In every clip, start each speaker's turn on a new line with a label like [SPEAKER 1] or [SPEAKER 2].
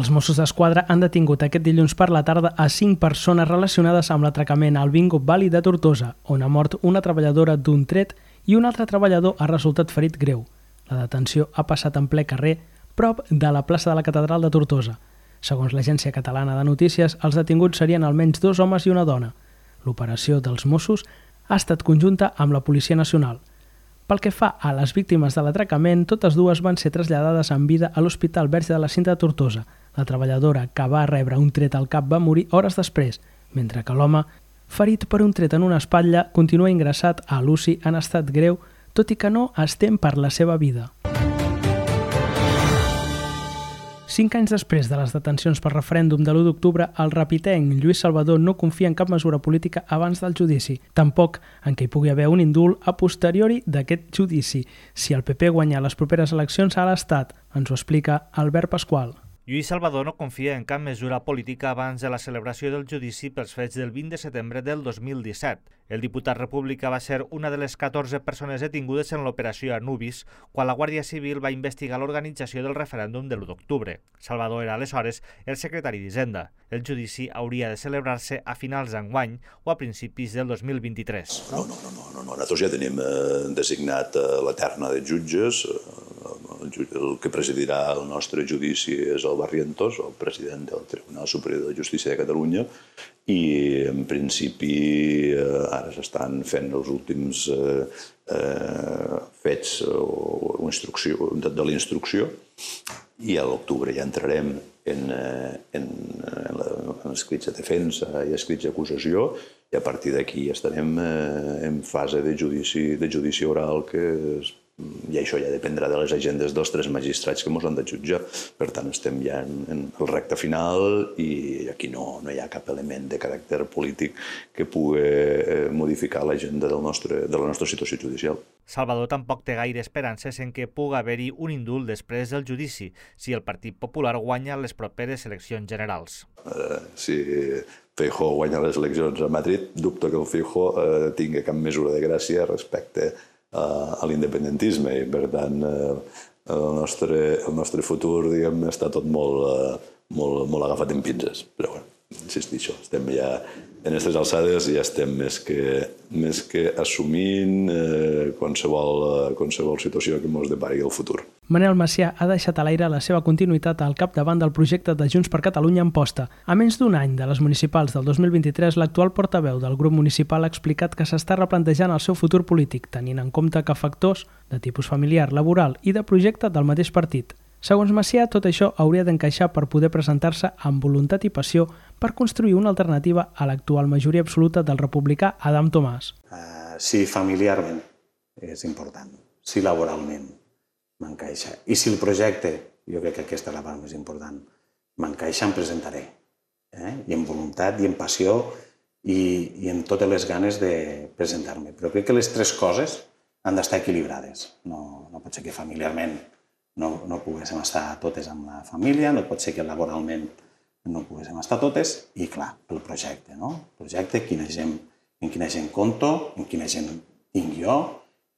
[SPEAKER 1] Els Mossos d'Esquadra han detingut aquest dilluns per la tarda a 5 persones relacionades amb l'atracament al Bingo Valley de Tortosa, on ha mort una treballadora d'un tret i un altre treballador ha resultat ferit greu. La detenció ha passat en ple carrer, prop de la plaça de la Catedral de Tortosa. Segons l'Agència Catalana de Notícies, els detinguts serien almenys 2 homes i una dona. L'operació dels Mossos ha estat conjunta amb la Policia Nacional. Pel que fa a les víctimes de l'atracament, totes dues van ser traslladades en vida a l'Hospital Verge de la Cinta de Tortosa. La treballadora que va rebre un tret al cap va morir hores després, mentre que l'home, ferit per un tret en una espatlla, continua ingressat a l'UCI en estat greu, tot i que no es tem per la seva vida. 5 anys després de les detencions pel referèndum de l'1 d'octubre, el rapitenc Lluís Salvador no confia en cap mesura política abans del judici, tampoc en què hi pugui haver un indult a posteriori d'aquest judici, si el PP guanya les properes eleccions a l'Estat, ens ho explica Albert Pasqual.
[SPEAKER 2] Lluís Salvador no confia en cap mesura política abans de la celebració del judici pels fets del 20 de setembre del 2017. El diputat republicà va ser una de les 14 persones detingudes en l'operació Anubis quan la Guàrdia Civil va investigar l'organització del referèndum de l'1 d'octubre. Salvador era aleshores el secretari d'Hisenda. El judici hauria de celebrar-se a finals d'enguany o a principis del 2023.
[SPEAKER 3] No. Nosaltres ja tenim designat la terna de jutges. El que presidirà el nostre judici és el Barrientos, el president del Tribunal Superior de Justícia de Catalunya, i en principi ara s'estan fent els últims fets de la instrucció i a l'octubre ja entrarem en escrits de defensa i escrits d'acusació i a partir d'aquí estarem en fase de judici oral i això ja dependrà de les agendes dels 3 magistrats que ens han de jutjar. Per tant, estem ja en el recte final i aquí no hi ha cap element de caràcter polític que pugui modificar l'agenda de la nostra situació judicial.
[SPEAKER 2] Salvador tampoc té gaire esperances en que pugui haver-hi un indult després del judici si el Partit Popular guanya les properes eleccions generals.
[SPEAKER 3] Si Feijóo guanya les eleccions a Madrid, dubto que el Feijóo tingui cap mesura de gràcia respecte a l'independentisme i, per tant, el nostre futur, diguem, està tot molt agafat en pinces. Però, bueno, insistixo, estem ja en aquestes alçades i ja estem més que assumint qualsevol situació que ens depari el futur.
[SPEAKER 1] Manel Macià ha deixat a l'aire la seva continuïtat al capdavant del projecte de Junts per Catalunya en posta. A menys d'un any de les municipals del 2023, l'actual portaveu del grup municipal ha explicat que s'està replantejant el seu futur polític, tenint en compte que factors de tipus familiar, laboral i de projecte del mateix partit. Segons Macià, tot això hauria d'encaixar per poder presentar-se amb voluntat i passió per construir una alternativa a l'actual majoria absoluta del republicà Adam Tomàs.
[SPEAKER 4] Si familiarment és important, si laboralment m'encaixa. I si el projecte, jo crec que aquesta és la part més important, m'encaixa, em presentaré. I amb voluntat, i amb passió, i amb totes les ganes de presentar-me. Però crec que les 3 coses han d'estar equilibrades. No pot ser que familiarment no poguéssim estar totes amb la família, no pot ser que laboralment no poguéssim estar totes, i clar, el projecte, no? El projecte, en quina gent compto, en quina gent tinc jo,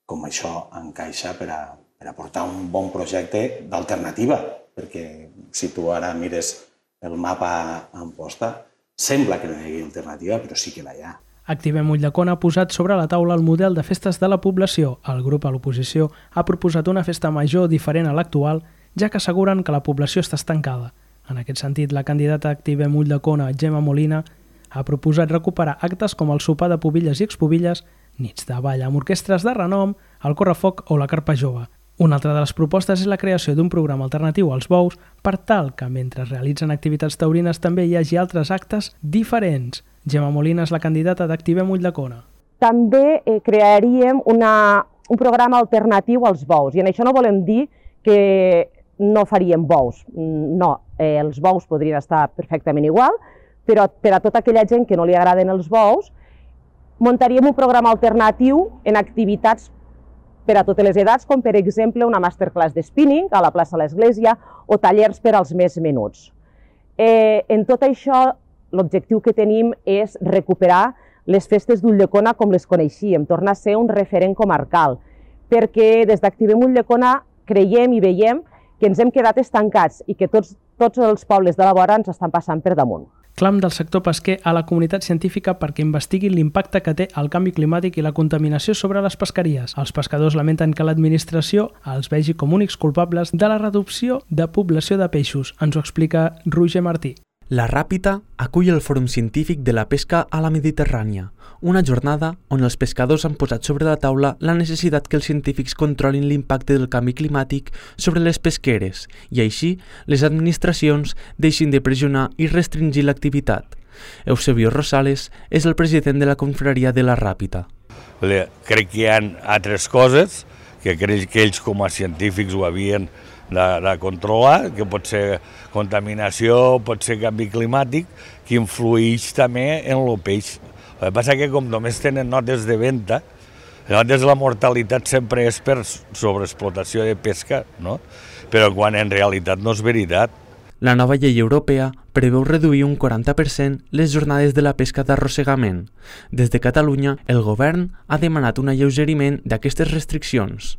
[SPEAKER 4] com això encaixa per a portar un bon projecte d'alternativa, perquè si tu ara mires el mapa en posta, sembla que no hi hagi alternativa, però sí que la hi ha.
[SPEAKER 1] Activem Ulldecona ha posat sobre la taula el model de festes de la població. El grup a l'oposició ha proposat una festa major diferent a l'actual, ja que asseguren que la població està estancada. En aquest sentit, la candidata Activem Ulldecona, Gemma Molina, ha proposat recuperar actes com el sopar de pubilles i expubilles, nits de ball amb orquestres de renom, el correfoc o la carpa jove. Una altra de les propostes és la creació d'un programa alternatiu als bous per tal que, mentre realitzen activitats taurines, també hi hagi altres actes diferents. Gemma Molina és la candidata d'Activem Ulldecona.
[SPEAKER 5] També crearíem un programa alternatiu als bous, i en això no volem dir que no faríem bous. No, els bous podrien estar perfectament igual, però per a tota aquella gent que no li agraden els bous, muntaríem un programa alternatiu en activitats per a totes les edats, com per exemple una masterclass de spinning a la plaça de l'Església o tallers per als més menuts. En tot això, l'objectiu que tenim és recuperar les festes d'Ulldecona com les coneixíem, tornar a ser un referent comarcal, perquè des d'Activem Ulldecona creiem i veiem que ens hem quedat estancats i que tots tots els pobles de la vora ens estan passant per damunt.
[SPEAKER 1] Clam del sector pesquer a la comunitat científica perquè investiguin l'impacte que té el canvi climàtic i la contaminació sobre les pesqueries. Els pescadors lamenten que l'administració els vegi com únics culpables de la reducció de població de peixos. Ens ho explica Roger Martí.
[SPEAKER 6] La Ràpita acull el Fòrum Científic de la Pesca a la Mediterrània, una jornada on els pescadors han posat sobre la taula la necessitat que els científics controlin l'impacte del canvi climàtic sobre les pesqueres i així les administracions deixin de pressionar i restringir l'activitat. Eusebio Rosales és el president de la confraria de la Ràpita.
[SPEAKER 7] Crec que hi ha altres coses que crec que ells com a científics ho havien de controlar, que pot ser contaminació, pot ser canvi climàtic, que influeix també en el peix. El que passa és que com només tenen notes de venda, notes la mortalitat sempre és per sobreexplotació de pesca, no? Però quan en realitat no és veritat.
[SPEAKER 6] La nova llei europea preveu reduir un 40% les jornades de la pesca d'arrossegament. Des de Catalunya, el govern ha demanat un alleugeriment d'aquestes restriccions.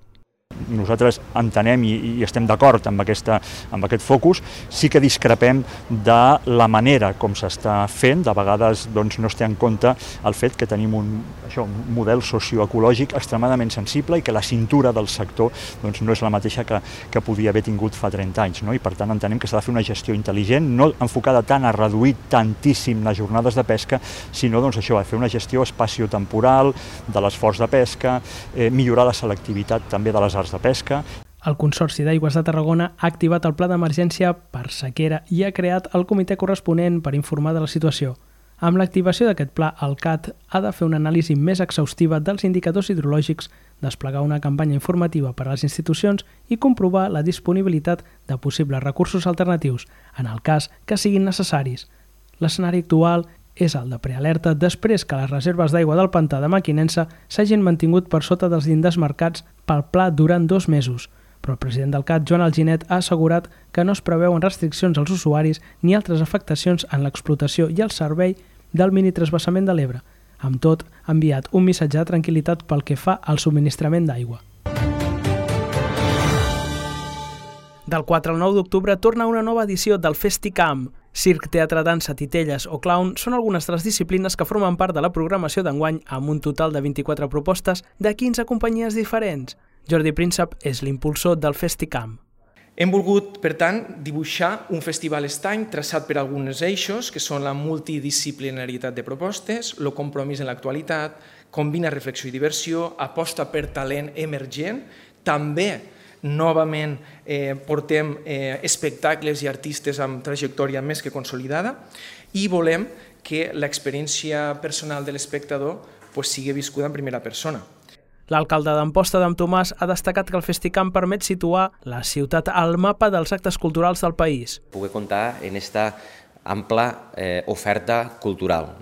[SPEAKER 8] Nosaltres entenem i estem d'acord amb aquest focus, sí que discrepem de la manera com s'està fent. De vegades no es té en compte el fet que tenim un model socioecològic extremadament sensible i que la cintura del sector no és la mateixa que podia haver tingut fa 30 anys. I per tant entenem que s'ha de fer una gestió intel·ligent, no enfocada tant a reduir tantíssim les jornades de pesca, sinó a fer una gestió espaciotemporal de l'esforç de pesca, millorar la selectivitat també de les arts de pesca.
[SPEAKER 1] El Consorci d'Aigües de Tarragona ha activat el pla d'emergència per sequera i ha creat el comitè corresponent per informar de la situació. Amb l'activació d'aquest pla, el CAT ha de fer una anàlisi més exhaustiva dels indicadors hidrològics, desplegar una campanya informativa per a les institucions i comprovar la disponibilitat de possibles recursos alternatius, en el cas que siguin necessaris. L'escenari actual és el de prealerta després que les reserves d'aigua del pantà de Mequinensa s'hagin mantingut per sota dels llindars marcats pel pla durant 2 mesos. Però el president del CAT, Joan Alginet, ha assegurat que no es preveuen restriccions als usuaris ni altres afectacions en l'explotació i el servei del minitransvasament de l'Ebre. Amb tot, ha enviat un missatge de tranquil·litat pel que fa al subministrament d'aigua. Del 4 al 9 d'octubre torna una nova edició del FestiCamp. Circ, teatre, dansa, titelles o clown són algunes de les disciplines que formen part de la programació d'enguany amb un total de 24 propostes de 15 companyies diferents. Jordi Príncep és l'impulsor del FestiCamp.
[SPEAKER 9] Hem volgut, per tant, dibuixar un festival estany traçat per alguns eixos, que són la multidisciplinarietat de propostes, el compromís en l'actualitat, combina reflexió i diversió, aposta per talent emergent, també novament portem espectacles i artistes amb trajectòria més que consolidada i volem que l'experiència personal de l'espectador sigui viscuda en primera persona.
[SPEAKER 1] L'alcalde d'Amposta, Adam Tomàs, ha destacat que el FestiCamp permet situar la ciutat al mapa dels actes culturals del país.
[SPEAKER 10] Poder comptar en aquesta ampla oferta cultural.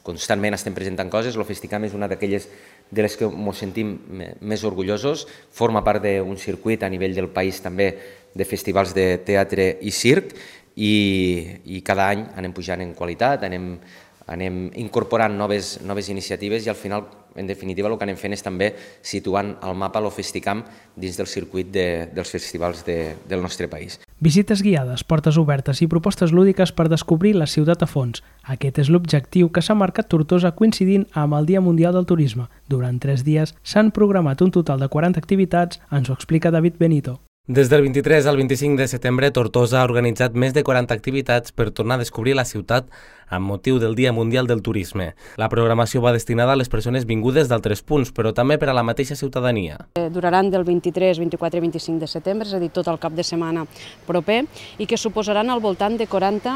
[SPEAKER 10] Constantment estem presentant coses, el FestiCamp és una d'aquelles de les que ens sentim més orgullosos, forma part d'un circuit a nivell del país també de festivals de teatre i circ i cada any anem pujant en qualitat, anem incorporant noves iniciatives i al final, en definitiva, el que anem fent és també situant al mapa el FestiCamp dins del circuit dels festivals del nostre país.
[SPEAKER 1] Visites guiades, portes obertes i propostes lúdiques per descobrir la ciutat a fons. Aquest és l'objectiu que s'ha marcat Tortosa coincidint amb el Dia Mundial del Turisme. Durant 3 dies s'han programat un total de 40 activitats, ens ho explica David Benito.
[SPEAKER 11] Des del 23 al 25 de setembre, Tortosa ha organitzat més de 40 activitats per tornar a descobrir la ciutat amb motiu del Dia Mundial del Turisme. La programació va destinada a les persones vingudes d'altres punts, però també per a la mateixa ciutadania.
[SPEAKER 12] Duraran del 23, 24 i 25 de setembre, és a dir, tot el cap de setmana proper, i que suposaran al voltant de 40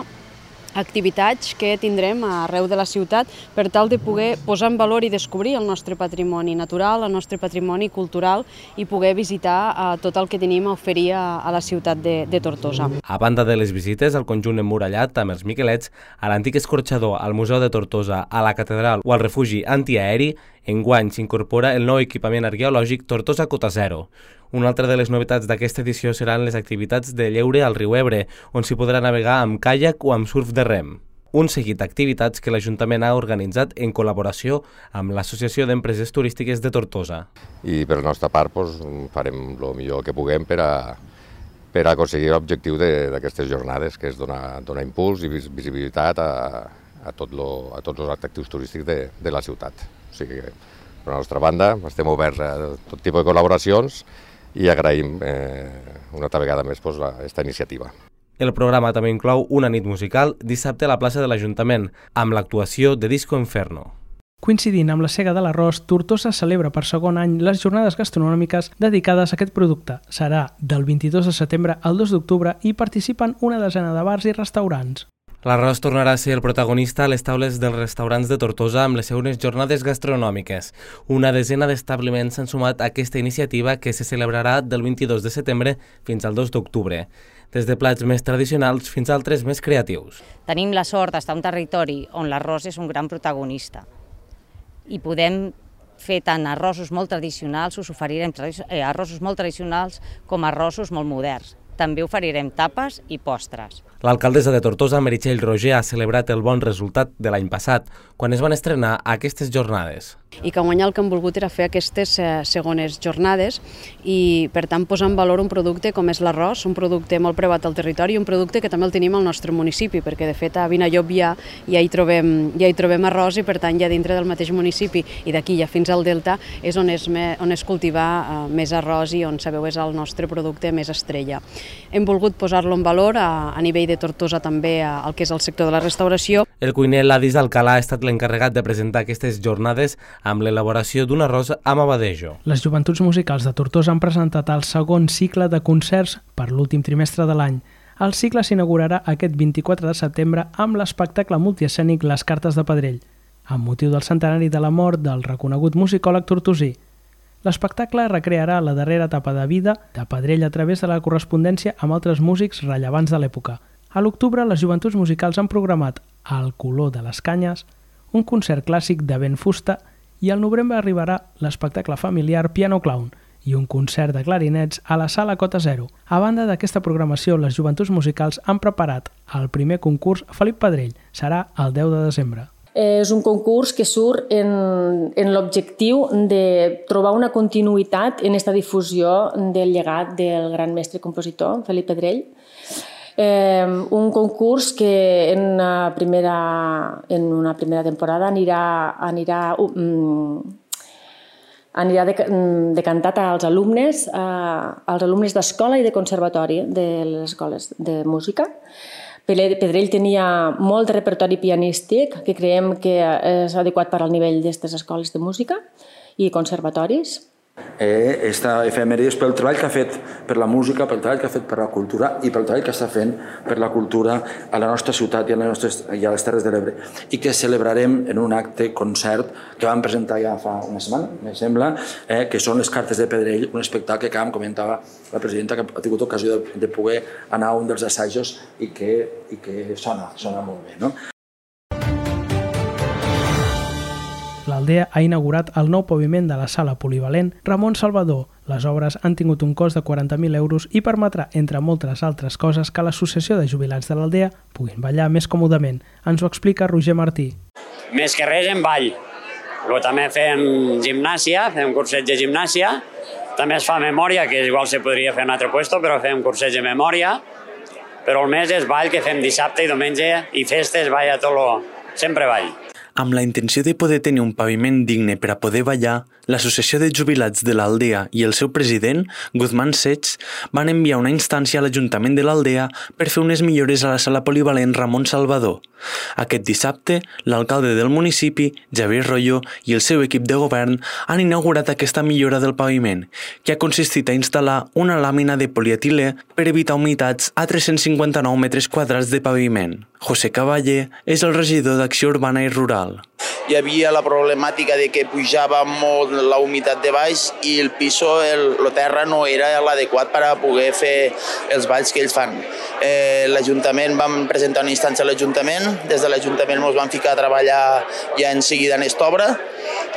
[SPEAKER 12] activitats que tindrem arreu de la ciutat per tal de poder posar en valor i descobrir el nostre patrimoni natural, el nostre patrimoni cultural i poder visitar tot el que tenim a oferir a la ciutat de Tortosa.
[SPEAKER 11] A banda de les visites al conjunt emmurallat amb els Miquelets, a l'antic escorxador, al Museu de Tortosa, a la Catedral o al refugi antiaeri, enguany s'incorpora el nou equipament arqueològic Tortosa Cota Zero. Una altra de les novetats d'aquesta edició seran les activitats de lleure al riu Ebre, on s'hi podrà navegar amb caiac o amb surf de rem. Un seguit d'activitats que l'Ajuntament ha organitzat en col·laboració amb l'Associació d'Empreses Turístiques de Tortosa.
[SPEAKER 13] I per la nostra part farem el millor que puguem per per aconseguir l'objectiu d'aquestes jornades, que és donar impuls i visibilitat a tots els atractius turístics de la ciutat. O sigui que, per la nostra banda, estem oberts a tot tipus de col·laboracions i agraïm una altra vegada més aquesta iniciativa.
[SPEAKER 11] El programa també inclou una nit musical dissabte a la plaça de l'Ajuntament, amb l'actuació de Disco Inferno.
[SPEAKER 1] Coincidint amb la sega de l'arròs, Tortosa celebra per segon any les jornades gastronòmiques dedicades a aquest producte. Serà del 22 de setembre al 2 d'octubre i participen una desena de bars i restaurants.
[SPEAKER 11] L'arròs tornarà a ser el protagonista a les taules dels restaurants de Tortosa amb les següents jornades gastronòmiques. Una desena d'establiments s'han sumat a aquesta iniciativa que se celebrarà del 22 de setembre fins al 2 d'octubre. Des de plats més tradicionals fins a altres més creatius.
[SPEAKER 14] Tenim la sort d'estar en un territori on l'arròs és un gran protagonista i podem fer tant arrossos molt tradicionals, us oferirem arrossos molt tradicionals com arrossos molt moderns. També oferirem tapes i postres.
[SPEAKER 11] L'alcaldessa de Tortosa, Meritxell Roger, ha celebrat el bon resultat de l'any passat, quan es van estrenar aquestes jornades.
[SPEAKER 12] I que guanyar el que hem volgut era fer aquestes segones jornades i, per tant, posar en valor un producte com és l'arròs, un producte molt preuat al territori i un producte que també el tenim al nostre municipi, perquè, de fet, a Vinallop ja hi trobem arròs i, per tant, ja dintre del mateix municipi i d'aquí ja fins al Delta és on es cultiva més arròs i on, sabeu, és el nostre producte més estrella. Hem volgut posar-lo en valor a nivell de Tortosa també al que és el sector de la restauració.
[SPEAKER 11] El cuiner Ladis Alcalà ha estat l'encarregat de presentar aquestes jornades amb l'elaboració d'un arròs amb abadejo.
[SPEAKER 1] Les joventuts musicals de Tortosa han presentat el segon cicle de concerts per l'últim trimestre de l'any. El cicle s'inaugurarà aquest 24 de setembre amb l'espectacle multiescènic Les Cartes de Pedrell, amb motiu del centenari de la mort del reconegut musicòleg tortosí. L'espectacle recrearà la darrera etapa de vida de Pedrell a través de la correspondència amb altres músics rellevants de l'època. A l'octubre, les joventuts musicals han programat Al color de les canyes, un concert clàssic de Ben Fusta, i al novembre arribarà l'espectacle familiar Piano Clown i un concert de clarinets a la Sala Cota Zero. A banda d'aquesta programació, les joventuts musicals han preparat el primer concurs Felip Pedrell. Serà el 10 de desembre.
[SPEAKER 15] És un concurs que surt en l'objectiu de trobar una continuïtat en aquesta difusió del llegat del gran mestre compositor, Felip Pedrell. Un concurs que en una primera temporada anirà decantat als alumnes d'escola i de conservatori de les escoles de música. Pedrell tenia molt de repertori pianístic que creiem que és adequat per al nivell d'aquestes escoles de música i conservatoris.
[SPEAKER 16] Esta efemèride és pel treball que ha fet per la música, pel treball que ha fet per la cultura i pel treball que està fent per la cultura a la nostra ciutat i a les Terres de l'Ebre, i que celebrarem en un acte concert que vam presentar ja fa una setmana, me sembla, que són Les Cartes de Pedrell, un espectacle que, com comentava la presidenta, que ha tingut ocasió de poder anar a un dels assajos i que sona molt bé, no?
[SPEAKER 1] L'Aldea ha inaugurat el nou paviment de la sala polivalent Ramon Salvador. Les obres han tingut un cost de 40.000 euros i permetrà, entre moltes altres coses, que l'associació de jubilats de l'Aldea puguin ballar més còmodament. Ens ho explica Roger Martí.
[SPEAKER 17] Més que res en ball. Però també fem gimnàsia, fem curset de gimnàsia. També es fa memòria, que igual se podria fer en un altre puesto, però fem curset de memòria. Però el més és ball que fem dissabte i diumenge i festes, balla tot lo... sempre ball.
[SPEAKER 6] Amb la intenció de poder tenir un paviment digne per a poder ballar, l'Associació de Jubilats de l'Aldea i el seu president, Guzmán Sets, van enviar una instància a l'Ajuntament de l'Aldea per fer unes millores a la sala polivalent Ramon Salvador. Aquest dissabte, l'alcalde del municipi, Javier Royo, i el seu equip de govern han inaugurat aquesta millora del paviment, que ha consistit a instal·lar una làmina de polietilè per evitar humitats a 359 metres quadrats de paviment. José Cavaller és el regidor d'Acció Urbana i Rural.
[SPEAKER 18] Hi havia la problemàtica de que pujava molt la humitat de baix i el piso, la terra no era l'adequat per a poder fer els balls que ells fan. L'Ajuntament, vam presentar una instància a l'Ajuntament, des de l'Ajuntament ens vam ficar a treballar ja en seguida en aquesta obra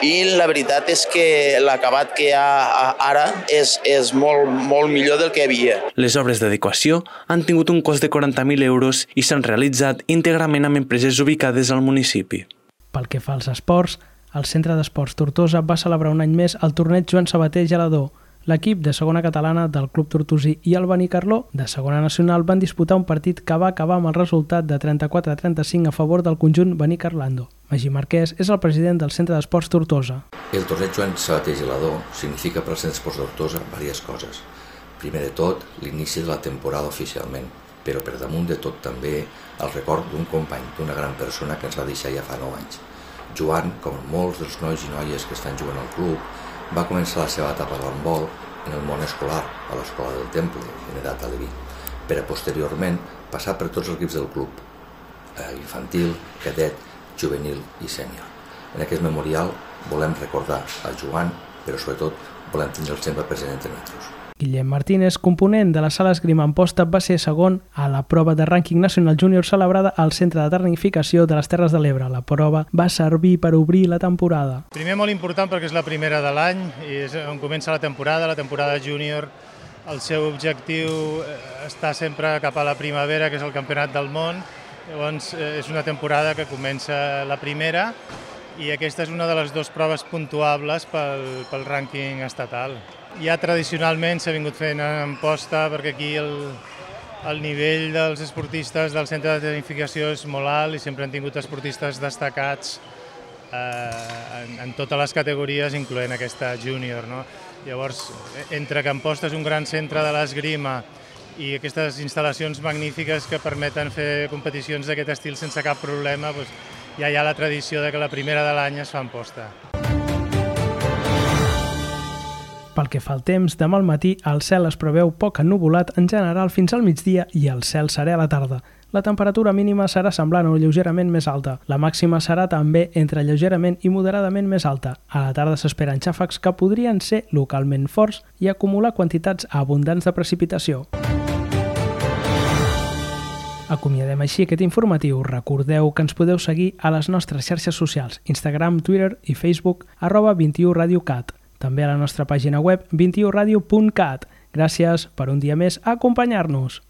[SPEAKER 18] i la veritat és que l'acabat que hi ha ara és molt millor del que hi havia.
[SPEAKER 6] Les obres d'adequació han tingut un cost de 40.000 euros i s'han realitzat íntegrament amb empreses ubicades al municipi.
[SPEAKER 1] Pel que fa als esports, el Centre d'Esports Tortosa va celebrar un any més el torneig Joan Sabater Gelador. L'equip de segona catalana del Club Tortosí i el Benicarló de segona nacional van disputar un partit que va acabar amb el resultat de 34-35 a favor del conjunt benicarlando. Magí Marquès és el president del Centre d'Esports Tortosa.
[SPEAKER 19] El torneig Joan Sabater Gelador significa per al Centre d'Esports Tortosa diverses coses. Primer de tot, l'inici de la temporada oficialment, però per damunt de tot també el record d'un company, d'una gran persona que ens va deixar ja fa 9 anys. Joan, com molts dels nois i noies que estan jugant al club, va començar la seva etapa d'handbol en el món escolar, a l'Escola del Temple, en edat aleví, per a posteriorment passar per tots els equips del club, infantil, cadet, juvenil i sènior. En aquest memorial volem recordar a Joan, però sobretot volem tindre'l sempre present entre nosaltres.
[SPEAKER 1] Guillem Martínez, component de la sala esgrima Amposta, va ser segon a la prova de rànquing nacional júnior celebrada al Centre de Tecnificació de les Terres de l'Ebre. La prova va servir per obrir la temporada.
[SPEAKER 20] Primer molt important perquè és la primera de l'any i és on comença la temporada júnior. El seu objectiu està sempre cap a la primavera, que és el Campionat del Món. Llavors és una temporada que comença la primera i aquesta és una de les dues proves puntuables pel rànquing estatal. Ja tradicionalment s'ha vingut fent en Amposta perquè aquí el nivell dels esportistes del centre de tecnificació és molt alt i sempre han tingut esportistes destacats en totes les categories, incloent aquesta júnior. Llavors, entre que Amposta és un gran centre de l'esgrima i aquestes instal·lacions magnífiques que permeten fer competicions d'aquest estil sense cap problema, ja hi ha la tradició de que la primera de l'any es fa a Amposta.
[SPEAKER 1] Pel que fa al temps, demà al matí el cel es preveu poc ennuvolat en general fins al migdia i el cel serè a la tarda. La temperatura mínima serà semblant o lleugerament més alta. La màxima serà també entre lleugerament i moderadament més alta. A la tarda s'esperen xàfecs que podrien ser localment forts i acumular quantitats abundants de precipitació. Acomiadem així aquest informatiu. Recordeu que ens podeu seguir a les nostres xarxes socials, Instagram, Twitter i Facebook, @21radiocat. També a la nostra pàgina web 21radio.cat. Gràcies per un dia més a acompanyar-nos.